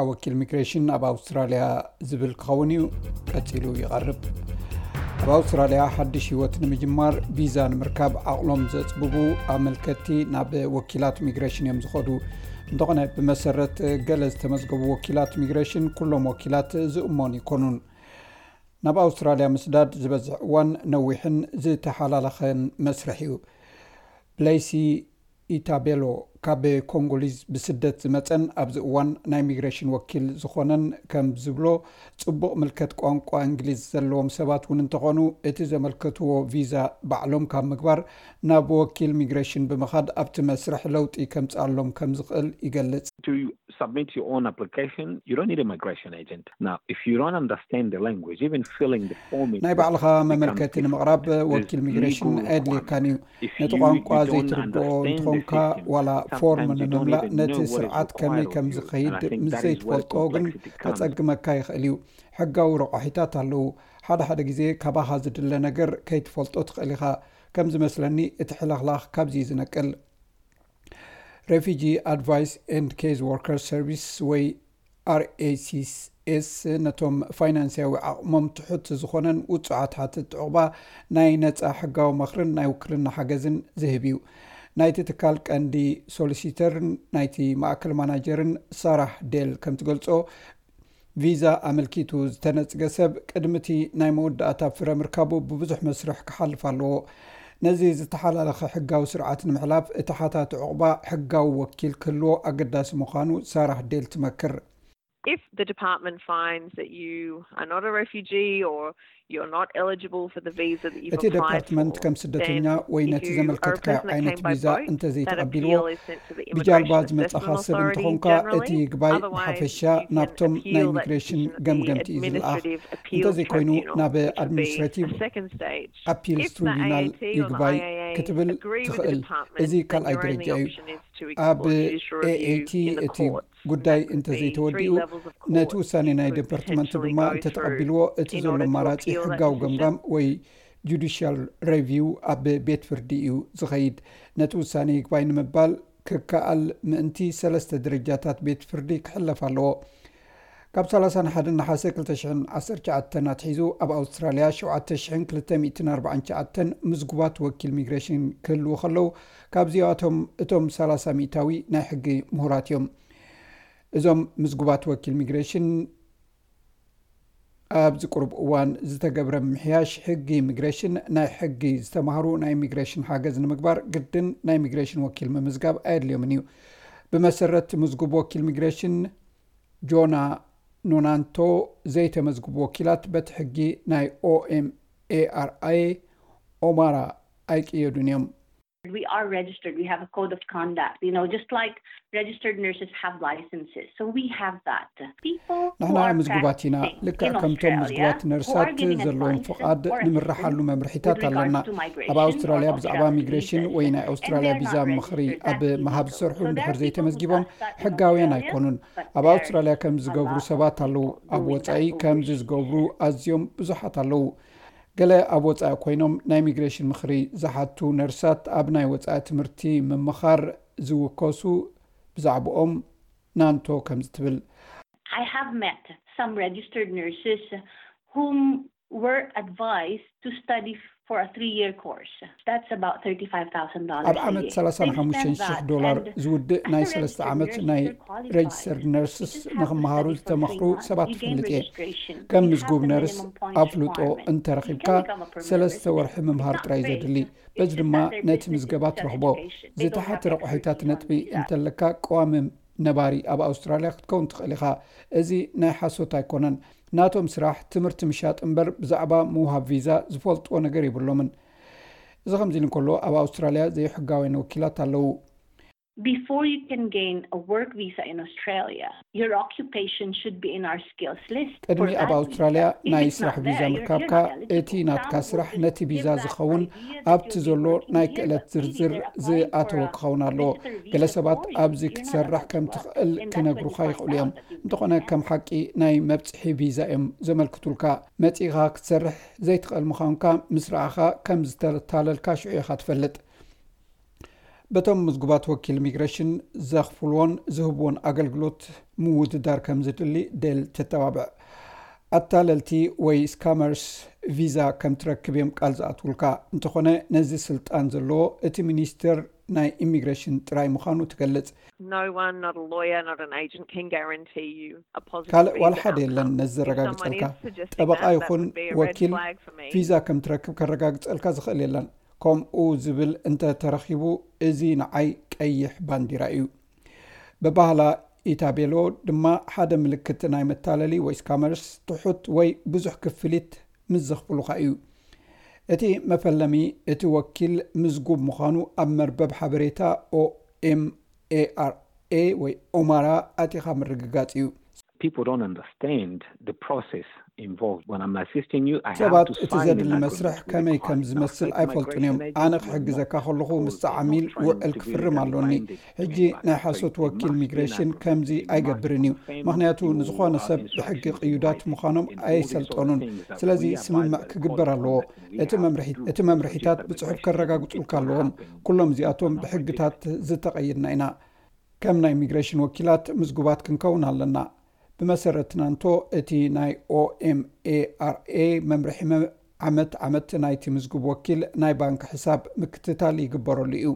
ወኪል ሚግሬሽን ኣብ ኣውስትራልያ ዝብል ክኸውን እዩ ቀጺሉ ይቐርብ። ኣብ ኣውስትራልያ ሓድሽ ህይወት ንምጅማር ቪዛ ንምርካብ ዓቕሎም ዘጽብቡ ኣመልከትቲ ናብ ወኪላት ሚግሬሽን እዮም ዝኸዱ። እንተኾነ ብመሰረት ገለ ዝተመዝገቡ ወኪላት ሚግሬሽን ኩሎም ወኪላት ዝእመኑ ይኮኑን። ናብ ኣውስትራልያ ምስዳድ ዝበዝሕ እዋን ነዊሕን ዝተሓላለኸን መስርሕ እዩ። ብለይሲ ኢታቤሎ ካብ ኮንጎሊዝ ብስደት ዝመጸን ኣብዚ እዋን ናይ ሚግሬሽን ወኪል ዝኾነን ከም ዝብሎ፣ ጽቡቕ ምልከት ቋንቋ እንግሊዝ ዘለዎም ሰባት እውን እንተኾኑ እቲ ዘመልከትዎ ቪዛ ባዕሎም ካብ ምግባር ናብ ወኪል ሚግሬሽን ብምኻድ ኣብቲ መስርሕ ለውጢ ከምጽኣሎም ከም ዝኽእል ይገልጽ። To submit your own application, you don't need a migration agent. Now, if you don't understand the language, even filling the form is ናይ ባዕልኻ መመልከቲ ንምቕራብ ወኪል ሚግሬሽን ኣየድልየካን እዩ። ነቲ ቋንቋ ዘይትርድኦ እንተኾንካ ዋላ ፎርም ንምምላእ ነቲ ስርዓት ከመይ ከም ዝኸይድ ምስ ዘይትፈልጦ ግን ከጸግመካ ይኽእል እዩ። ሕጋዊ ረቋሒታት ኣለዉ። ሓደ ሓደ ግዜ ካባኻ ዝድለ ነገር ከይትፈልጦ ትኽእል ኢኻ። ከም ዝመስለኒ እቲ ሕልኽላኽ ካብዚ እዩ ዝነቅል። Refugee Advice and Case Worker Service ወይ R A C S ነቶም ፋይናንስያዊ ዓቕሞም ትሑት ዝኾነን ውጹዓት ሓተትቲ ዑቕባ ናይ ነጻ ሕጋዊ ምኽርን ናይ ውክልና ሓገዝን ዝህብ እዩ። ናይቲ ትካል ቀንዲ ሶሊሲተርን ናይቲ ማእከል ማናጀርን ሳራህ ዴል ከም ትገልጾ፣ ቪዛ ኣመልኪቱ ዝተነጽገ ሰብ ቅድሚ እቲ ናይ መወዳእታ ፍረ ምርካቡ ብብዙሕ መስርሕ ክሓልፍ ኣለዎ። ነዚ ዝተሓላለኸ ሕጋዊ ስርዓት ንምሕላፍ እቲ ሓታቲ ዑቕባ ሕጋዊ ወኪል ክህልዎ ኣገዳሲ ምዃኑ ሳራህ ዴል ትመክር። If the department finds that you are not a refugee or you're not eligible for the visa that you've እቲ applied ዲፓርትመንት for, ከም ስደተኛ then ወይ if ነቲ you are a ዘመልከትካዮ person that came by ቪዛ boat, እንተ that ዘይተቐቢልዎ appeal is sent to the ብጃልባ Immigration ዝመጻኻ Assessment ሰብ Authority እንተኾንካ እቲ generally. ይግባይ Otherwise, ብሓፈሻ you can ናብቶም ናይ appeal that ሚግሬሽን decision to the ገምገምቲ እዩ ዝለኣኽ። Administrative Appeal እንተዘይኮይኑ Tribunal, ናብ which would be ኣድሚኒስትሬቲቭ the second stage. ኣፒልስ If the ትሪቡናል A A T or the ይግባይ I A A ክትብል agree with the ትኽእል። department, እዚ then ካልኣይ your ደረጃ only እዩ። option is to ኣብ explore judicial review ኤኤቲ in the እቲ courts. ጉዳይ That could እንተዘይተወዲኡ be three levels of court. ነቲ ውሳኔ ናይ You could ዲፓርትመንት potentially ድማ go through እንተተቐቢልዎ እቲ in ዘሎ order to ኣማራጺ appeal that ሕጋዊ decision. ገምጋም ወይ ጁዲሽያል ሬቪው ኣብ ቤት ፍርዲ እዩ ዝኸይድ። ነቲ ውሳኔ ይግባይ ንምባል ክከኣል ምእንቲ ሰለስተ ደረጃታት ቤት ፍርዲ ክሕለፍ ኣለዎ። ካብ ሰላሳን ሓደን ነሓሰ ክልተ ሽሕን ዓሰርተ ትሽዓተን ኣትሒዙ ኣብ ኣውስትራልያ ሸውዓተ ሽሕን ክልተ ሚእትን ኣርባዓን ትሽዓተን ምዝጉባት ወኪል ሚግሬሽን ክህልዉ ከለዉ፣ ካብዚኣቶም እቶም ሰላሳ ሚእታዊ ናይ ሕጊ ምሁራት እዮም። እዞም ምዝጉባት ወኪል ሚግሬሽን ኣብዚ ቁሩብ እዋን ዝተገብረ ምምሕያሽ ሕጊ ኢሚግሬሽን፣ ናይ ሕጊ ዝተማህሩ ናይ ኢሚግሬሽን ሓገዝ ንምግባር ግድን ናይ ኢሚግሬሽን ወኪል ምምዝጋብ ኣየድልዮምን እዩ። ብመሰረት ምዝጉብ ወኪል ኢሚግሬሽን ጆና ኖናንቶ፣ ዘይተመዝግቡ ወኪላት በቲ ሕጊ ናይ ኦኤምኤኣርኣይ ኦማራ ኣይቅየዱን እዮም። We are registered. We have a code of conduct. You know, just like registered nurses have licenses, so we have that. People who ንሕና are ምዝጉባት ኢና። practicing ልክዕ in ከምቶም Australia ምዝጉባት who ነርሳት are getting ዘለዎም advices ፍቓድ or ንምርሓሉ assistance መምርሒታት with regards ኣለና። to migration ኣብ ኣውስትራልያ or ብዛዕባ Australian ሚግሬሽን visas, ወይ ናይ and ኣውስትራልያ they're ቪዛ not ምኽሪ registered. ኣብ That means ምሃብ people ዝሰርሑ know እንድሕር that. ዘይተመዝጊቦም People know that in ሕጋውያን Australia, ኣይኮኑን። but ኣብ they're ኣውስትራልያ ከም a ዝገብሩ lot of ሰባት ኣለዉ። people ኣብ doing ወጻኢ that ከምዚ overseas. ዝገብሩ ኣዝዮም ብዙሓት ኣለዉ። ገለ ኣብ ወጻኢ ኮይኖም ናይ ኢሚግሬሽን ምኽሪ ዝሓቱ ነርሳት ኣብ ናይ ወጻኢ ትምህርቲ ምምኻር ዝውከሱ ብዛዕባኦም ናንቶ ከምዚ ትብል። I have met some registered nurses whom were advised to study for a three-year course. That's about thirty-five thousand dollars ኣብ ዓመት ሰላሳን ሓሙሽተን ሽሕ ዶላር ዝውድእ ናይ ሰለስተ ዓመት ናይ ሬጅስተርድ ነርስስ ንኽመሃሩ ዝተመኽሩ ሰባት ትፈልጥ እየ። ከም ምዝጉብ ነርስ ኣፍልጦ እንተረኺብካ ሰለስተ ወርሒ ምምሃር ጥራይ ዘድሊ። በዚ ድማ ነቲ ምዝገባ ትረኽቦ። ዝተሓተ ረቑሒታት ነጥቢ እንተለካ ቀዋሚ ነባሪ ኣብ ኣውስትራልያ ክትከውን ትኽእል ኢኻ። እዚ ናይ ሓሶት ኣይኮነን። ናቶም ስራሕ ትምህርቲ ምሻጥ እምበር ብዛዕባ ምውሃብ ቪዛ ዝፈልጥዎ ነገር የብሎምን። እዚ ከምዚ ኢሉ እንከሎ ኣብ ኣውስትራልያ ዘይሕጋውያን ወኪላት ኣለዉ። Before you can gain a work visa in Australia, your occupation should be in our skills list. ቅድሚ ኣብ ኣውስትራልያ ናይ ስራሕ ቪዛ ምርካብካ እቲ ናትካ ስራሕ ነቲ ቪዛ ዝኸውን ኣብቲ ዘሎ ናይ ክእለት ዝርዝር ዝኣተወ ክኸውን ኣለዎ። ገለ ሰባት ኣብዚ ክትሰርሕ ከም ትኽእል ክነግሩኻ ይኽእሉ እዮም። እንተኾነ ከም ሓቂ ናይ መብጽሒ ቪዛ እዮም ዘመልክቱልካ። መጺኻ ክትሰርሕ ዘይትኽእል ምዃንካ ምስ ረኣኻ ከም ዝተታለልካ ሽዑ ኢኻ ትፈልጥ። በቶም ምዝጉባት ወኪል ኢሚግሬሽን ዘኽፍልዎን ዝህብዎን ኣገልግሎት ምውድዳር ከም ዝድሊ ዴል ተተባብዕ። ኣታለልቲ ወይ ስካመርስ ቪዛ ከም ትረክብ እዮም ቃል ዝኣትውልካ። እንተኾነ ነዚ ስልጣን ዘለዎ እቲ ሚኒስትር ናይ ኢሚግሬሽን ጥራይ ምዃኑ ትገልጽ። No one, not a lawyer, not an agent, can guarantee you a positive ካልእ ዋላ visa ሓደ የለን outcome. ነዚ If someone ዘረጋግጸልካ። is suggesting ጠበቃ that, that ይኹን would be a red ወኪል flag for me. ቪዛ ከም ትረክብ ከረጋግጸልካ ዝኽእል የለን። ከምኡ ዝብል እንተ ተረኺቡ እዚ ንዓይ ቀይሕ ባንዲራ እዩ። ብባህላ ኢታቤሎ ድማ ሓደ ምልክት ናይ መታለሊ ወይ ስካመርስ ትሑት ወይ ብዙሕ ክፍሊት ምስ ዘኽፍሉኻ እዩ። እቲ መፈለሚ እቲ ወኪል ምዝጉብ ምዃኑ ኣብ መርበብ ሓበሬታ ኦኤምኤኣርኤ ወይ ኦማራ ኣቲኻ ምርግጋጽ እዩ። People don't understand the process involved. When I'm assisting you, I have ሰባት to እቲ sign an ዘድሊ agreement መስርሕ with ከመይ the ከም client. ዝመስል Now, ኣይፈልጡን እዮም። migration ኣነ agents ክሕግዘካ will ከለኹ not ምስ call ዓሚል people trying ውዕል to ክፍርም visit ኣለኒ። and finding ሕጂ them. ናይ So ሓሶት it- it ወኪል must be an ኢሚግሬሽን agreement. ከምዚ It must ኣይገብርን እዩ። confirm ምኽንያቱ you ንዝኾነ have ሰብ instructions ብሕጊ to ቅዩዳት confirm ምዃኖም and all these ኣየሰልጠኑን። things that ስለዚ we abide ስምምዕ by the ክግበር code of ኣለዎ። conduct we እቲ have መምርሒት to do እቲ to መምርሒታት register ብጽሑፍ migration ከረጋግጹልካ agents. It ኣለዎም። won't happen ኩሎም እዚኣቶም in some ብሕግታት register. ዝተቐየድና ኢና። ከም ናይ ኢሚግሬሽን ወኪላት ምዝጉባት ክንከውን ኣለና። ብመሰረት ናንቶ እቲ ናይ ኦኤምኤኣርኤ መምርሒ መ- ዓመት ዓመት ናይቲ ምዝጉብ ወኪል ናይ ባንክ ሕሳብ ምክትታል ይግበረሉ እዩ።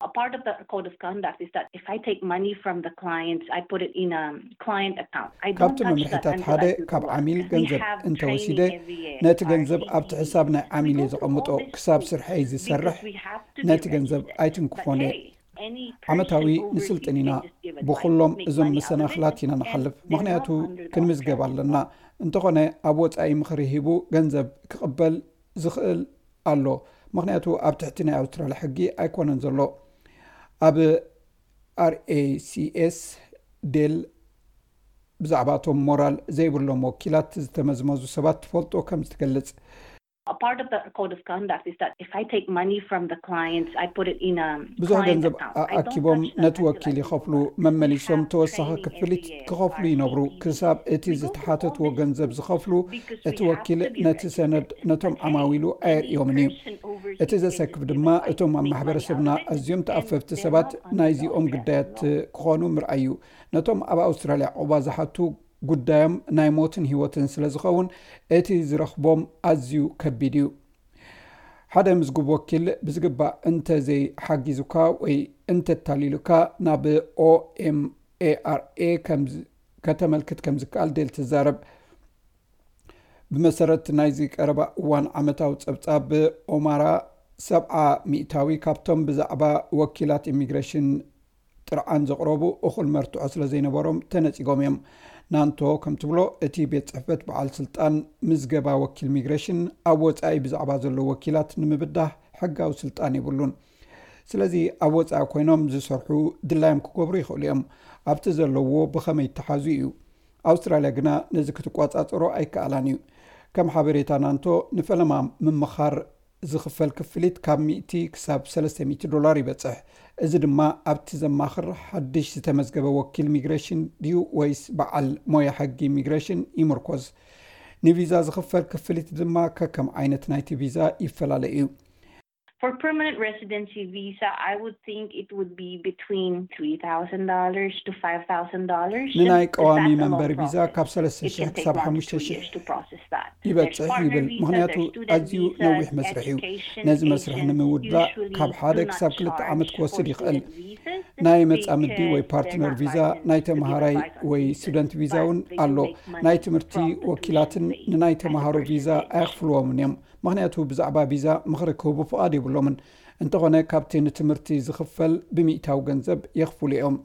A part of the code of conduct is that if I take money from the clients, I put it in a client account. I don't ካብቲ touch that መምርሒታት until ሓደ I do the ካብ work. ዓሚል We ገንዘብ have እንተወሲደ training every year. ነቲ Our ገንዘብ team ኣብቲ leads. ሕሳብ ናይ We ዓሚል go እየ through all ዘቐምጦ this ክሳብ through ስርሐይ ዝሰርሕ because we have to be ነቲ ገንዘብ registered. ኣይትንክፎን But እየ። Hey, any ዓመታዊ person overseas ንስልጥን ኢና። can just give a ብኹሎም check, make እዞም money out of it, መሰናኽላት ኢና and ንሓልፍ። then we're ምኽንያቱ not under the ክንምዝገብ Australian ኣለና። እንተኾነ ኣብ ወጻኢ ምኽሪ ሂቡ ገንዘብ ክቕበል ዝኽእል ኣሎ። ምኽንያቱ ኣብ ትሕቲ ናይ ኣውስትራልያ ሕጊ ኣይኮነን ዘሎ። ኣብ ኣርኤሲኤስ ዴል ብዛዕባ እቶም ሞራል ዘይብሎም ወኪላት ዝተመዝመዙ ሰባት ትፈልጦ ከም ዝትገልጽ። A part of the code of conduct is that if I take money from the clients, I put it in a ብዙሕ client ገንዘብ account. I don't ኣኪቦም touch that ነቲ until I ወኪል do the ይኸፍሉ work. We መመሊሶም have ተወሳኺ training ክፍሊት every year. ክኸፍሉ Our ይነብሩ። team leads. ክሳብ እቲ We go through ዝተሓተትዎ all this ገንዘብ through ዝኸፍሉ because እቲ we have ወኪል to be ነቲ ሰነድ registered. ነቶም But hey, ዓማዊሉ any ኣየርእዮምን እዩ። person overseas እቲ can just ዘሰክፍ give ድማ a check, እቶም ኣብ make money ማሕበረሰብና out of it, ኣዝዮም and ተኣፈፍቲ they're ሰባት not under the ናይዚኦም Australian ጉዳያት law. ክኾኑ ምርኣይ እዩ። ነቶም ኣብ ኣውስትራልያ ዑቕባ ዝሓቱ ጉዳዮም ናይ ሞትን ህይወትን ስለ ዝኸውን እቲ ዝረኽቦም ኣዝዩ ከቢድ እዩ። ሓደ ምዝጉብ ወኪል ብዝግባእ እንተዘይሓጊዙካ ወይ እንተታሊሉካ ናብ ኦኤምኤኣርኤ ከም ዝ- ከተመልክት ከም ዝከኣል ዴል ትዛረብ። ብመሰረት ናይዚ ቀረባ እዋን ዓመታዊ ጸብጻብ ኦማራ ሰብዓ ሚእታዊ ካብቶም ብዛዕባ ወኪላት ኢሚግሬሽን ጥርዓን ዘቕረቡ እኹል መርትዖ ስለ ዘይነበሮም ተነጺጎም እዮም። ናንቶ ከም ትብሎ እቲ ቤት ጽሕፈት በዓል ስልጣን ምዝገባ ወኪል ኢሚግሬሽን ኣብ ወጻኢ ብዛዕባ ዘለዉ ወኪላት ንምብዳህ ሕጋዊ ስልጣን የብሉን። ስለዚ ኣብ ወጻኢ ኮይኖም ዝሰርሑ ድላዮም ክገብሩ ይኽእሉ እዮም። ኣብቲ ዘለውዎ ብኸመይ ይተሓዙ እዩ። ኣውስትራልያ ግና ነዚ ክትቋጻጸሮ ኣይከኣላን እዩ። ከም ሓበሬታ ናንቶ ንፈለማ ምምኻር ዝኽፈል ክፍሊት ካብ ሚእቲ ክሳብ ሰለስተ ሚእቲ ዶላር ይበጽሕ። እዚ ድማ ኣብቲ ዘማኽር ሓድሽ ዝተመዝገበ ወኪል ኢሚግሬሽን ድዩ ወይስ በዓል ሞያ ሕጊ ኢሚግሬሽን ይምርኮዝ። ንቪዛ ዝኽፈል ክፍሊት ድማ ከከም ዓይነት ናይቲ ቪዛ ይፈላለ እዩ። For permanent residency visa, I would think it would be between three thousand dollars to five thousand dollars. ንናይ ቀዋሚ መንበሪ ቪዛ ካብ ሰለስተ ሽሕ ክሳብ ሓሙሽተ ሽሕ ይበጽሕ ይብል። ምኽንያቱ ኣዝዩ ነዊሕ መስርሕ እዩ። ነዚ መስርሕ ንምውዳእ ካብ ሓደ ክሳብ ክልተ ዓመት ክወስድ ይኽእል። ናይ መጻምዲ ወይ ፓርትነር ቪዛ፣ ናይ ተምሃራይ ወይ ስቱደንት ቪዛ እውን ኣሎ። ናይ ትምህርቲ ወኪላትን ንናይ ተምሃሮ ቪዛ ኣየኽፍልዎምን እዮም። ምኽንያቱ ብዛዕባ ቪዛ ምኽሪ ክህቡ ፍቓድ የብሎምን። እንተኾነ ካብቲ ንትምህርቲ ዝኽፈል ብሚእታዊ ገንዘብ የኽፍሉ እዮም።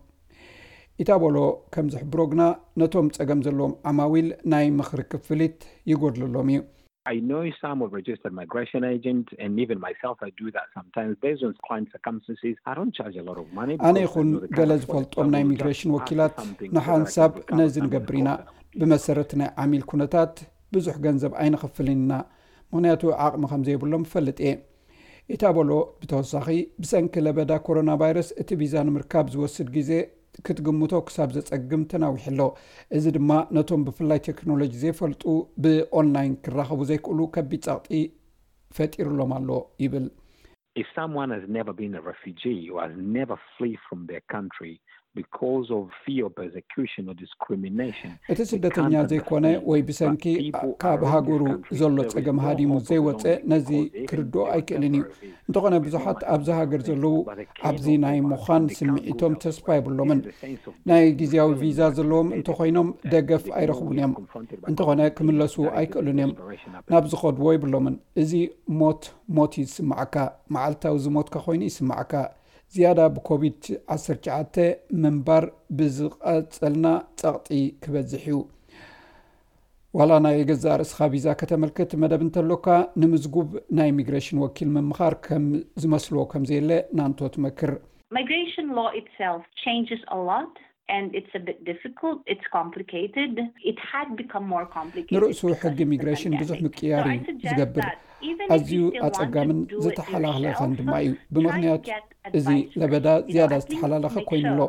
ኢታቦሎ ከም ዝሕብሮ ግና ነቶም ጸገም ዘለዎም ዓማዊል ናይ ምኽሪ ክፍሊት ይጎድለሎም እዩ። I know some of registered migration agents, and even myself, I do that sometimes based on client circumstances. I don't charge a lot of money. ኣነ ይኹን ገለ ዝፈልጦም ናይ ኢሚግሬሽን ወኪላት ንሓንሳብ ነዚ ንገብር ኢና። ብመሰረት ናይ ዓሚል ኩነታት ብዙሕ ገንዘብ ኣይንኸፍልን ኢና፣ ምኽንያቱ ዓቕሚ ከም ዘይብሎም እፈልጥ እየ። ኢታቦሎ ብተወሳኺ ብሰንኪ ለበዳ ኮሮና ቫይረስ እቲ ቪዛ ንምርካብ ዝወስድ ግዜ ክትግምቶ ክሳብ ዘጸግም ተናዊሑ ኣሎ። እዚ ድማ ነቶም ብፍላይ ቴክኖሎጂ ዘይፈልጡ ብኦንላይን ክራኸቡ ዘይክእሉ ከቢድ ጸቕጢ ፈጢሩሎም ኣሎ ይብል። If someone has never been a refugee or has never fled from their country because of fear of persecution or discrimination, እቲ ስደተኛ ዘይኮነ ወይ ብሰንኪ ካብ ሃገሩ ዘሎ ጸገም ሃዲሙ ዘይወፀ ነዚ ክርድኦ ኣይክእልን እዩ። እንተኾነ ብዙሓት ኣብዚ ሃገር ዘለዉ ኣብዚ ናይ ምዃን ስምዒቶም ተስፋ የብሎምን። ናይ ግዜያዊ ቪዛ ዘለዎም እንተኾይኖም ደገፍ ኣይረኽቡን እዮም። እንተኾነ ክምለሱ ኣይክእሉን እዮም። ናብ ዝኸድዎ ይብሎምን። እዚ ሞት ሞት እዩ ዝስምዓካ። መዓልታዊ ዝሞትካ ኮይኑ ይስምዓካ። ዝያዳ ብኮቪድ ዓሰርተ ትሽዓተ ምንባር ብዝቐጸልና ጸቕጢ ክበዝሕ እዩ። ዋላ ናይ ገዛእ ርእስኻ ቪዛ ከተመልክት መደብ እንተሎካ ንምዝጉብ ናይ ኢሚግሬሽን ወኪል ምምኻር ከም ዝመስሎ ከም ዘየለ ናንቶ ትመክር። Migration law itself changes a lot and it's a bit difficult, it's complicated. It had become more complicated. ንርእሱ ሕጊ ኢሚግሬሽን ብዙሕ ምቅያር እዩ ዝገብር። ኣዝዩ ኣጸጋምን ዝተሓላለኸን ድማ እዩ። ብምኽንያት እዚ ለበዳ ዝያዳ ዝተሓላለኸ ኮይኑ ኣሎ።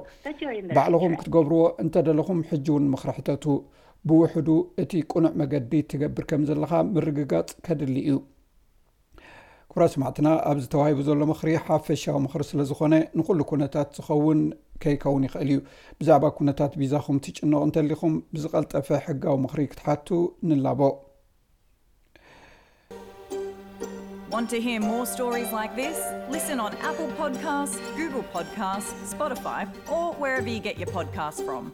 ባዕልኹም ክትገብርዎ እንተደለኹም ሕጂ እውን ምኽሪ ሕተቱ። ብውሕዱ እቲ ቅኑዕ መገዲ ትገብር ከም ዘለኻ ምርግጋጽ ከድሊ እዩ። ክቡራት ሰማዕትና፣ ኣብዚ ተዋሂቡ ዘሎ ምኽሪ ሓፈሻዊ ምኽሪ ስለ ዝኾነ ንኹሉ ኩነታት ዝኸውን ከይከውን ይኽእል እዩ። ብዛዕባ ኩነታት ቪዛኹም ትጭነቑ እንተሊኹም ብዝቐልጠፈ ሕጋዊ ምኽሪ ክትሓቱ ንላቦ። Want to hear more stories like this? Listen on Apple Podcasts, Google Podcasts, Spotify, or wherever you get your podcasts from.